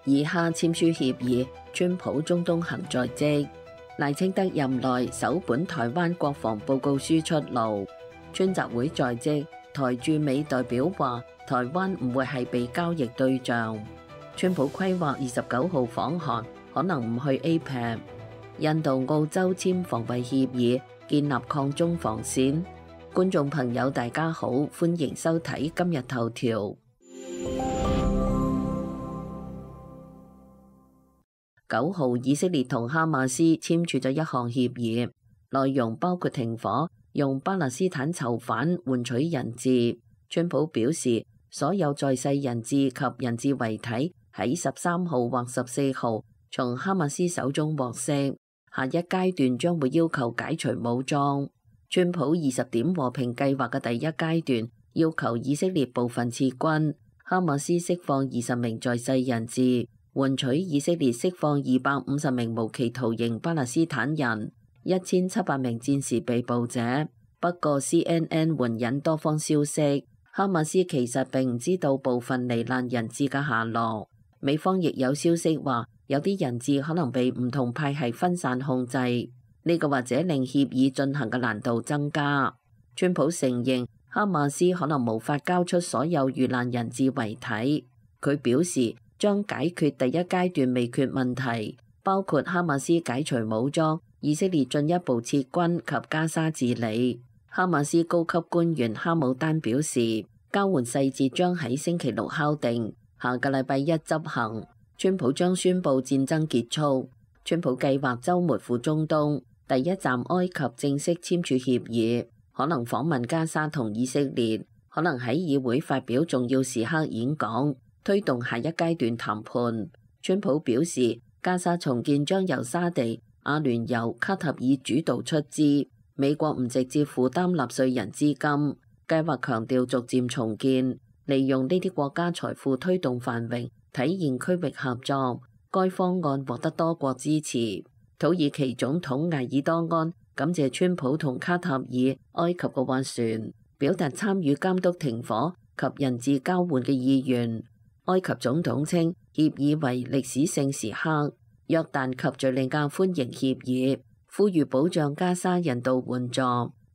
以哈簽署協議，川普中東行在即。賴清德任內首本台灣國防報告書出爐，川習會在即，台駐美代表話台灣唔會係被交易對象。川普規劃29號訪韓，可能唔去 APEC。印度、澳洲簽防衛協議，建立抗中防線。觀眾朋友大家好，歡迎收睇今日頭條。9號，以色列同哈馬斯簽署咗一項協議，內容包括停火，用巴勒斯坦囚犯換取人質。川普表示，所有在世人質及人質遺體喺13號或14號從哈馬斯手中獲釋，下一階段將會要求解除武裝。川普20點和平計劃嘅第一階段要求以色列部分撤軍，哈馬斯釋放20名在世人質，換取以色列釋放250名無期徒刑巴勒斯坦人，1700名戰時被捕者。不過 CNN 援引多方消息，哈馬斯其實並唔知道部分罹難人質嘅下落。美方亦有消息話，有啲人質可能被唔同派系分散控制，呢個或者令協議進行嘅難度增加。川普承認哈馬斯可能無法交出所有遇難人質遺體，佢表示將解決第一階段未決問題，包括哈馬斯解除武裝、以色列進一步撤軍及加沙治理。哈馬斯高級官員哈姆丹表示，交換細節將喺星期六敲定，下個禮拜一執行。川普將宣布戰爭結束。川普計劃週末赴中東，第一站埃及正式簽署協議，可能訪問加沙同以色列，可能喺議會發表重要時刻演講，推動下一階段談判。川普表示，加沙重建將由沙地、阿聯酋、卡塔爾主導出資，美國唔直接負擔納稅人資金。計劃強調逐漸重建，利用呢啲國家財富推動繁榮，體現區域合作。該方案獲得多國支持。土耳其總統埃爾多安感謝川普同卡塔爾、埃及嘅斡旋，表達參與監督停火及人質交換嘅意願。埃及總統稱協議為歷史性時刻，約旦及敘利亞歡迎協議，呼籲保障加沙人道援助。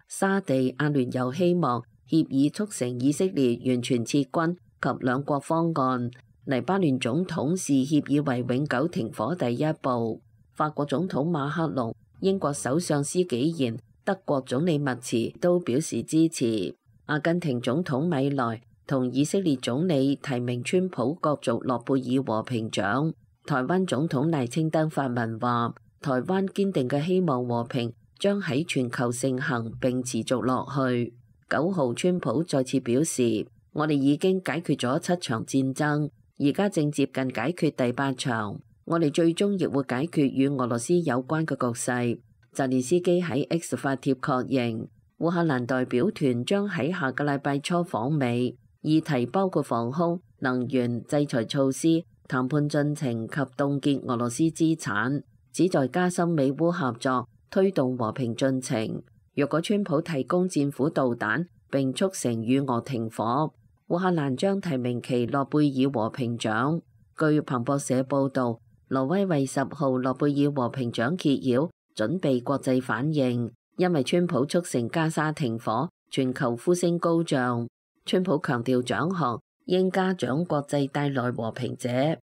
沙地、阿聯酋希望協議促成以色列完全撤軍及兩國方案。黎巴嫩總統視協議為永久停火第一步。法國總統馬克龍、英國首相施紀賢、德國總理默茨都表示支持。阿根廷總統米萊同以色列總理提名川普角逐諾貝爾和平獎。台灣總統賴清德發文話，台灣堅定嘅希望和平將喺全球盛行並持續落去。9號，川普再次表示，我哋已經解決咗7場戰爭，而家正接近解決第8場。我哋最終亦會解決與俄羅斯有關嘅局勢。澤連斯基喺 X 發帖確認，烏克蘭代表團將喺下個禮拜初訪美，議題包括防空、能源、制裁措施、談判進程及凍結俄羅斯資產，旨在加深美烏合作，推動和平進程。若果川普提供戰斧導彈並促成與俄停火，烏克蘭將提名其諾貝爾和平獎。據彭博社報導，挪威為10號諾貝爾和平獎揭曉，準備國際反應，因為川普促成加沙停火，全球呼聲高漲。川普強調獎項應嘉獎國際帶來和平者，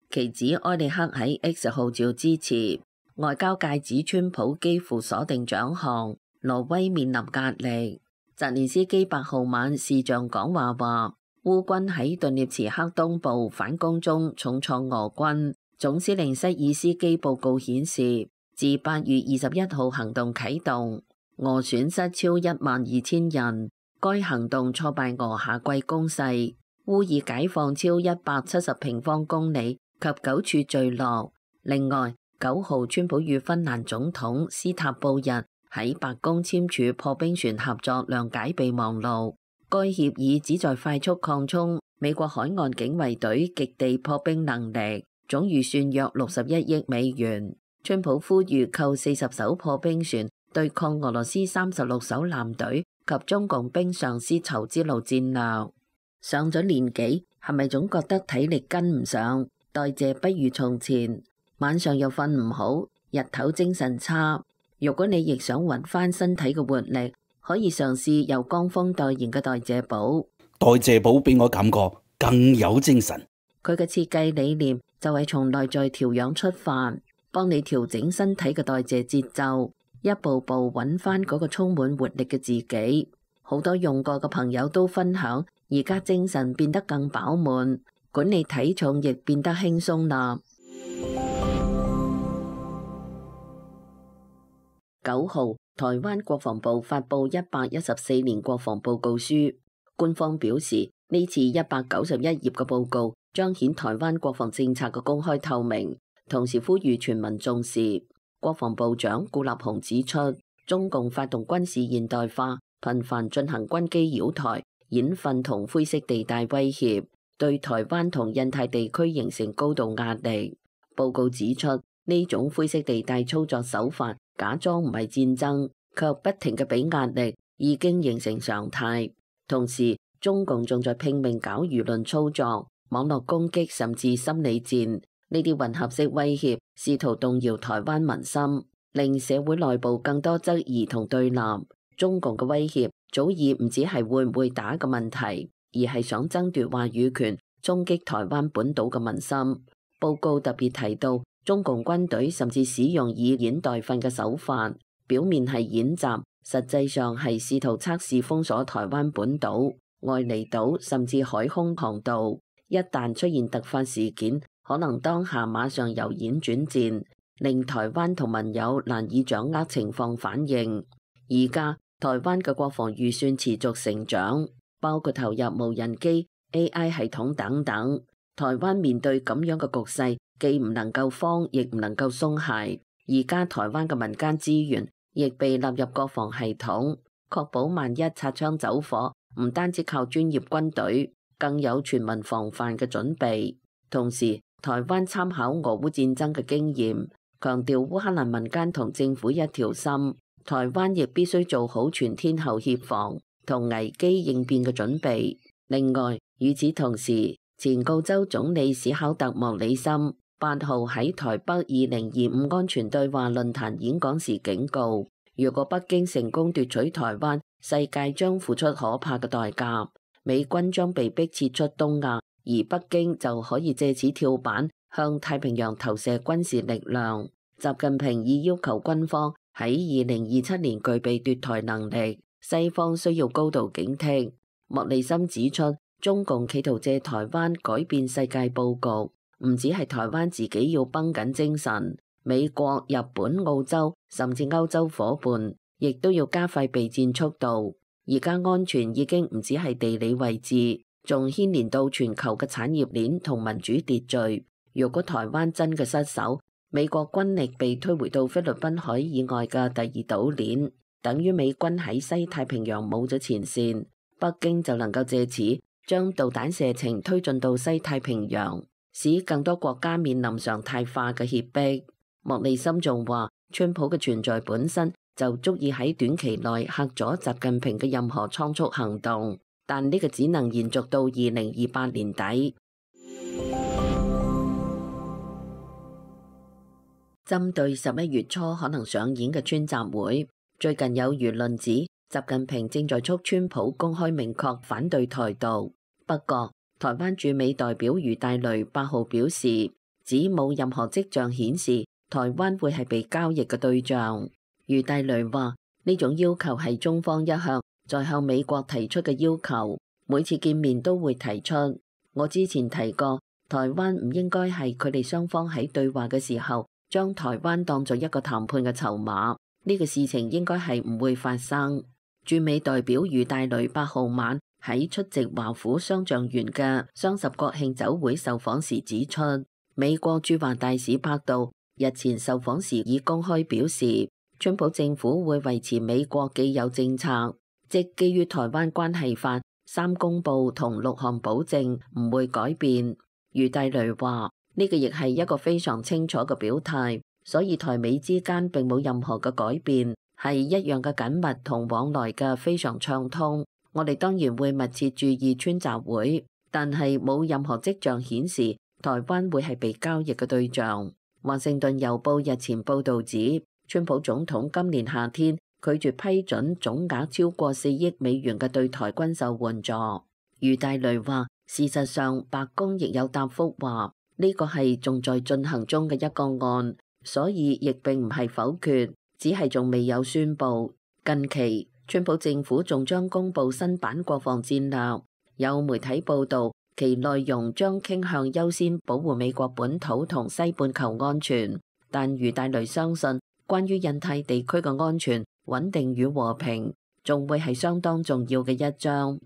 其子埃里克喺 X 號召支持。外交界指川普幾乎鎖定獎項，挪威面臨壓力。澤連斯基8號晚視像講話話，烏軍喺頓涅茨克東部反攻中重創俄軍。總司令塞爾斯基報告顯示，自8月21號行動啟動，俄損失超12000人。該行動挫敗俄夏季攻勢，烏已解放超170平方公里及9處聚落。另外，9號川普與芬蘭總統斯塔布日喺白宮簽署破冰船合作諒解備忘錄。該協議旨在快速擴充美國海岸警衛隊極地破冰能力。總預算約61億美元。川普呼籲購40艘破冰船，對抗俄羅斯36艘艦隊及中共冰上絲綢之路戰略。上咗年紀，係咪總覺得體力跟唔上？代謝不如從前，晚上又瞓唔好，日頭精神差。如果你亦想揾翻身體嘅活力，可以嘗試由江峰代言嘅代謝寶。代謝寶俾我感覺更有精神。佢嘅設計理念就係從內在調養出發，幫你調整身體嘅代謝節奏，一步步揾翻嗰個充滿活力嘅自己。好多用過嘅朋友都分享，而家精神變得更飽滿，管理體重亦變得輕鬆啦。9號，台灣國防部發布114年國防報告書，官方表示呢次191頁嘅報告彰顯台灣國防政策嘅公開透明，同時呼籲全民重視。國防部長顧立雄指出，中共發動軍事現代化，頻繁進行軍機擾台、演訓同灰色地帶威脅，對台灣同印太地區形成高度壓力。報告指出，呢種灰色地帶操作手法假裝唔係戰爭，卻不停嘅俾壓力，已經形成常態。同時，中共仲在拼命搞輿論操作、網絡攻擊，甚至心理戰。呢啲混合式威脅，試圖動搖台灣民心，令社會內部更多質疑同對立。中共嘅威脅早已唔止係會唔會打嘅問題，而係想爭奪話語權，衝擊台灣本島嘅民心。報告特別提到，中共軍隊甚至使用以演代訓嘅手法，表面係演習，實際上係試圖測試封鎖台灣本島、外離島甚至海空航道。一旦出現突發事件，可能當下馬上由演轉戰，令台灣同盟友難以掌握情況反應。而家台灣嘅國防預算持續成長，包括投入無人機、AI 系統等等。台灣面對咁樣嘅局勢，既唔能夠慌，亦唔能夠鬆懈。而家台灣嘅民間資源亦被納入國防系統，確保萬一擦槍走火，唔單止靠專業軍隊，更有全民防範嘅準備。同時，台灣參考俄烏戰爭嘅經驗，強調烏克蘭民間同政府一條心，台灣亦必須做好全天候協防同危機應變嘅準備。另外，與此同時，前澳洲總理史考特莫里森8號喺台北2025安全對話論壇演講時警告，如果北京成功奪取台灣，世界將付出可怕嘅代價，美軍將被迫撤出東亞，而北京就可以借此跳板，向太平洋投射軍事力量。習近平已要求軍方喺2027年具備奪台能力，西方需要高度警惕。莫里森指出，中共企圖借台灣改變世界佈局，唔止係台灣自己要繃緊精神，美國、日本、澳洲甚至歐洲夥伴亦都要加快備戰速度。而家安全已經唔止係地理位置，仲牽連到全球嘅產業鏈同民主秩序。如果台灣真嘅失守，美國軍力被推回到菲律賓海以外嘅第二島鏈，等於美軍喺西太平洋冇咗前線，北京就能夠借此將導彈射程推進到西太平洋，使更多國家面臨常態化嘅脅迫。莫里森仲話，川普嘅存在本身就足以喺短期內嚇阻習近平嘅任何倉促行動，但呢個只能延續到2028年底。針對11月初可能上演嘅川習會，最近有輿論指習近平正在促川普公開明確反對台獨。不過，台灣駐美代表余大雷8號表示，指冇任何跡象顯示台灣會係被交易嘅對象。余大雷話，呢種要求係中方一向在向美國提出嘅要求，每次見面都會提出。我之前提過，台灣唔應該係佢哋雙方喺對話嘅時候將台灣當作一個談判嘅籌碼，呢個事情應該係唔會發生。駐美代表余大雷8號晚喺出席華府雙橡園嘅雙十國慶酒會受訪時指出，美國駐華大使柏道日前受訪時已公開表示，川普政府會維持美國既有政策，即基於台灣關係法、3公報同6項保證唔會改變。余大雷話，呢個亦係一個非常清楚嘅表態，所以台美之間並冇任何嘅改變，係一樣嘅緊密同往來嘅非常暢通。我哋當然會密切注意川習會，但係冇任何跡象顯示台灣會係被交易嘅對象。華盛頓郵報日前報導指，川普總統今年夏天拒絕批准總額超過4億美元嘅對台軍售援助。余大雷話，事實上白宮亦有答覆話，呢個係仲在進行中嘅一個案，所以亦並唔係否決，只係仲未有宣佈。近期，川普政府仲將公布新版國防戰略，有媒體報導，其內容將傾向優先保護美國本土同西半球安全，但余大雷相信，關於印太地區嘅安全、穩定與和平，仲會係相當重要嘅一章。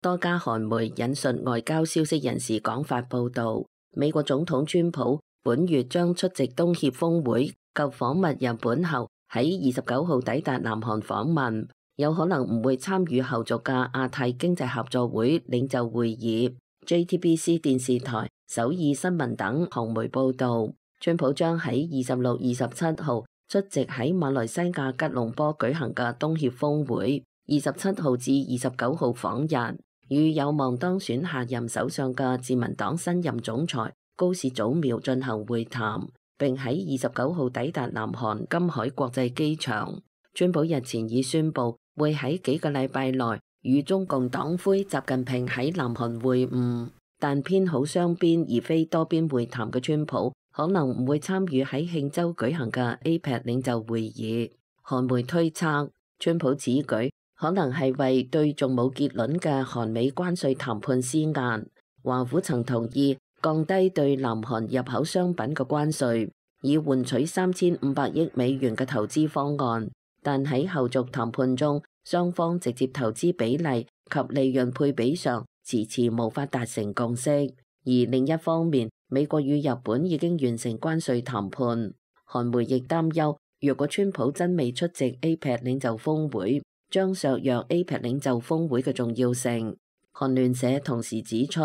多家韓媒引述外交消息人士講法報導，美國總統川普本月將出席東協峰會及訪問日本後，喺29號抵達南韓訪問，有可能唔會參與後續嘅亞太經濟合作會領袖會議。JTBC 電視台、首爾新聞等韓媒報導，川普將喺26、27號出席喺馬來西亞吉隆坡舉行嘅東協峰會，27號至29號訪日，與有望當選下任首相嘅自民黨新任總裁高市早苗進行會談，並喺29號抵達南韓金海國際機場。川普日前已宣布會喺幾個禮拜內與中共黨魁習近平喺南韓會晤，但偏好雙邊而非多邊會談嘅川普可能唔會參與喺慶州舉行嘅 APEC 領袖會議。韓媒推測，川普此舉可能係為對仲冇結論嘅韓美關稅談判施壓。華府曾同意降低對南韓入口商品嘅關稅，以換取3500億美元嘅投資方案，但喺後續談判中，雙方直接投資比例及利潤配比上遲遲無法達成共識。而另一方面，美國與日本已經完成關稅談判。韓媒亦擔憂，若果川普真未出席 APEC 領袖峰會，將削弱 APEC 領袖峰會嘅重要性。韓聯社同時指出，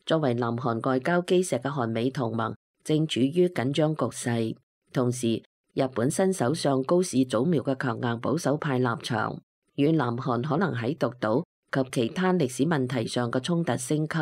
作為南韓外交基石嘅韓美同盟正處於緊張局勢。同時，日本新首相高市早苗嘅強硬保守派立場，與南韓可能喺獨島及其他歷史問題上嘅衝突升級，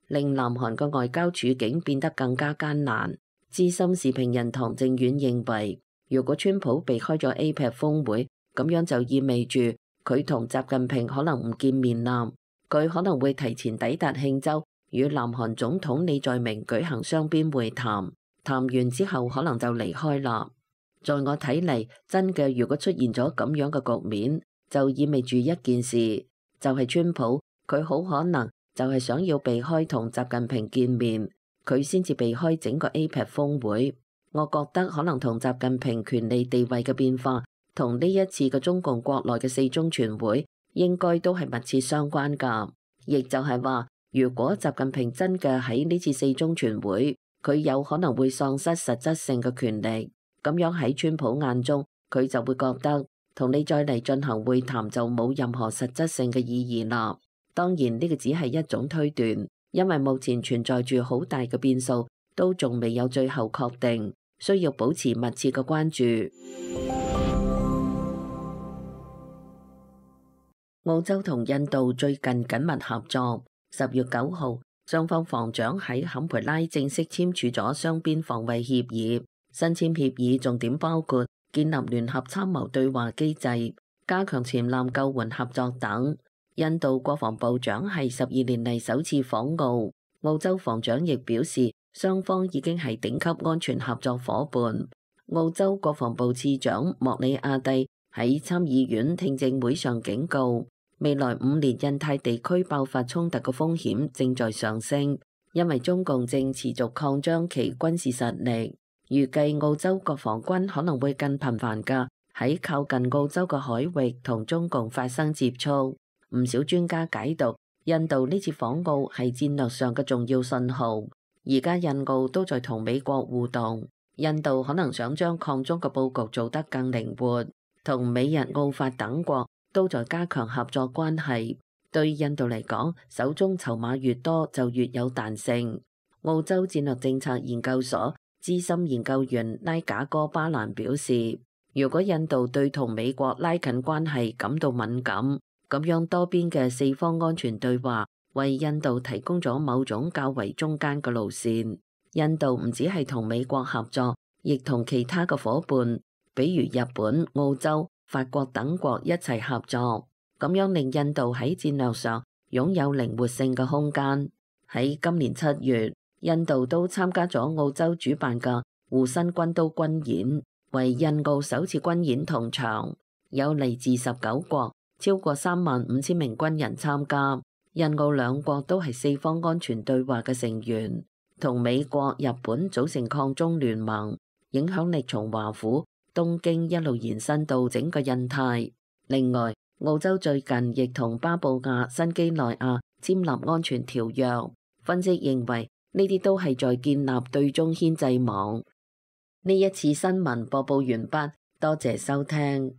令南韓嘅外交處境變得更加艱難。資深時評人唐正遠認為，如果川普避開咗 APEC 峰會，咁樣就意味住佢同習近平可能唔見面啦。佢可能會提前抵達慶州，與南韓總統李在明舉行雙邊會談，談完之後可能就離開啦。在我睇嚟，真嘅如果出現咗咁樣嘅局面，就意味住一件事，就係川普佢好可能就係想要避開同習近平見面，佢先至避開整個 APEC 峰會。我覺得可能同習近平權力地位嘅變化，同呢一次嘅中共國內嘅4中全會應該都係密切相關㗎。亦就係話，如果習近平真嘅喺呢次4中全會，佢有可能會喪失實質性嘅權力，咁樣喺川普眼中，佢就會覺得同你再嚟進行會談就冇任何實質性嘅意義啦。當然呢個只係一種推斷，因為目前存在住好大嘅變數，都仲未有最後確定，需要保持密切嘅關注。澳洲同印度最近緊密合作。10月9號，雙方防長喺坎培拉正式簽署咗雙邊防衛協議。新簽協議重點包括建立聯合參謀對話機制、加強潛艦救援合作等。印度國防部長係12年嚟首次訪澳。澳洲防長亦表示，雙方已經係頂級安全合作夥伴。澳洲國防部次長莫里亞蒂喺參議院聽證會上警告，未來5年印太地區爆發衝突嘅風險正在上升，因為中共正持續擴張其軍事實力。預計澳洲國防軍可能會更頻繁嘅喺靠近澳洲嘅海域同中共發生接觸。唔少專家解讀，印度呢次訪澳係戰略上嘅重要信號。而家印澳都在同美國互動，印度可能想將抗中嘅佈局做得更靈活，同美日澳法等國都在加強合作關係。對印度嚟講，手中籌碼越多就越有彈性。澳洲戰略政策研究所資深研究員拉賈哥巴蘭表示，如果印度對同美國拉近關係感到敏感，咁樣多邊嘅四方安全對話，為印度提供咗某種較為中間嘅路線。印度唔止係同美國合作，亦同其他嘅夥伴，比如日本、澳洲、法國等國一齊合作，咁樣令印度喺戰略上擁有靈活性嘅空間。喺今年7月，印度都參加咗澳洲主辦嘅護身軍刀軍演，為印澳首次軍演同場，有嚟自19國，超過35000名軍人參加。印澳兩國都係四方安全對話嘅成員，同美國、日本組成抗中聯盟，影響力從華府、東京一路延伸到整個印太。另外，澳洲最近亦同巴布亞新幾內亞簽立安全條約。分析認為呢啲都係在建立對中牽制網。呢一次新聞播報完畢，多謝收聽。